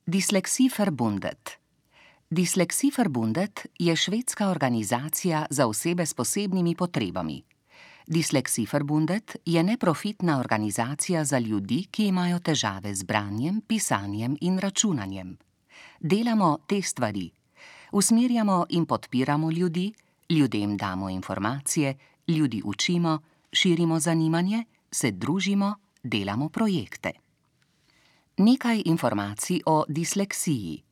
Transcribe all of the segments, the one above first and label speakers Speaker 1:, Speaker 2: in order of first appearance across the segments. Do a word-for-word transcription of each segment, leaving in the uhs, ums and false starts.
Speaker 1: Dyslexieverbundet. Dyslexieverbundet je švedska organizacija za osebe s posebnimi potrebami. Dyslexieverbundet je neprofitna organizacija za ljudi, ki imajo težave z branjem, pisanjem in računanjem. Delamo te stvari. Usmerjamo in podpiramo ljudi, ljudem damo informacije, ljudi učimo, širimo zanimanje, se družimo, delamo projekte. Nekaj informacij o disleksiji.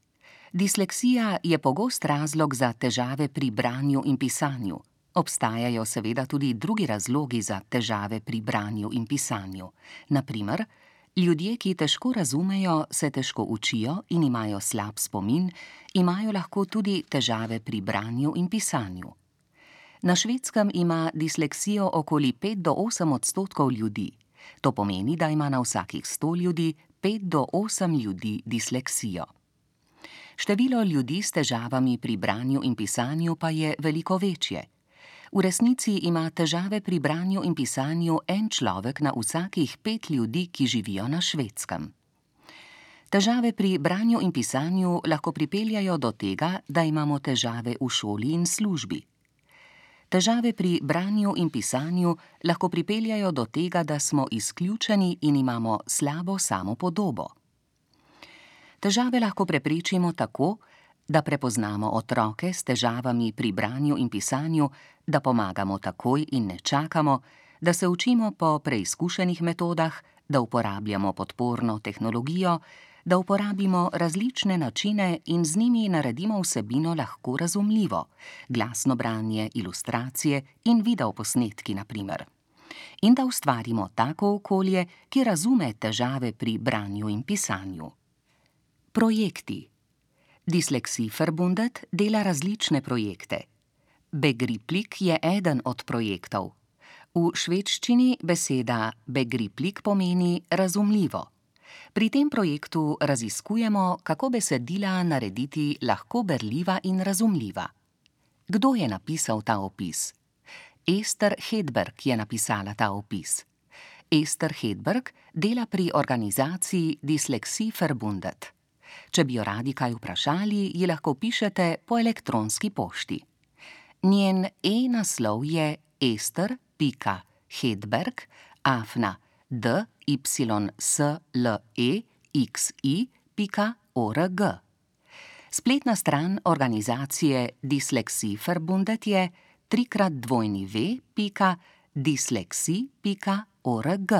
Speaker 1: Disleksija je pogost razlog za težave pri branju in pisanju. Obstajajo seveda tudi drugi razlogi za težave pri branju in pisanju. Na primer, ljudje, ki težko razumejo, se težko učijo in imajo slab spomin, imajo lahko tudi težave pri branju in pisanju. Na Švedskem ima disleksijo okoli pet do osem odstotkov ljudi. To pomeni, da ima na vsakih sto ljudi pet do osem ljudi disleksijo. Število ljudi s težavami pri branju in pisanju pa je veliko večje. V resnici ima težave pri branju in pisanju en človek na vsakih pet ljudi, ki živijo na Švedskem. Težave pri branju in pisanju lahko pripeljajo do tega, da imamo težave v šoli in službi. Težave pri branju in pisanju lahko pripeljajo do tega, da smo izključeni in imamo slabo samopodobo. Težave lahko preprečimo tako, da prepoznamo otroke s težavami pri branju in pisanju, da pomagamo takoj in ne čakamo, da se učimo po preizkušenih metodah, da uporabljamo podporno tehnologijo, da uporabimo različne načine in z njimi naredimo vsebino lahko razumljivo, glasno branje, ilustracije in videoposnetki na primer. In da ustvarimo tako okolje, ki razume težave pri branju in pisanju. Projekti. Dyslexieverbundet dela različne projekte. Begriplik je eden od projektov. V švedščini beseda begriplik pomeni razumljivo. Pri tem projektu raziskujemo, kako besedila narediti lahko berljiva in razumljiva. Kdo je napisal ta opis? Ester Hedberg je napisala ta opis. Ester Hedberg dela pri organizaciji Dyslexieverbundet. Če bi jo radi kaj vprašali, ji lahko pišete po elektronski pošti. Njen e-naslov je ester pika hedberg afna dyslexi pika org. Spletna stran organizacije Dyslexieverbundet je trikrat w pika dyslexi pika org.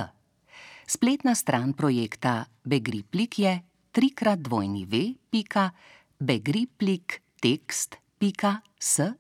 Speaker 1: Spletna stran projekta Begriplik je trikrat w pika begripliktekst pika se.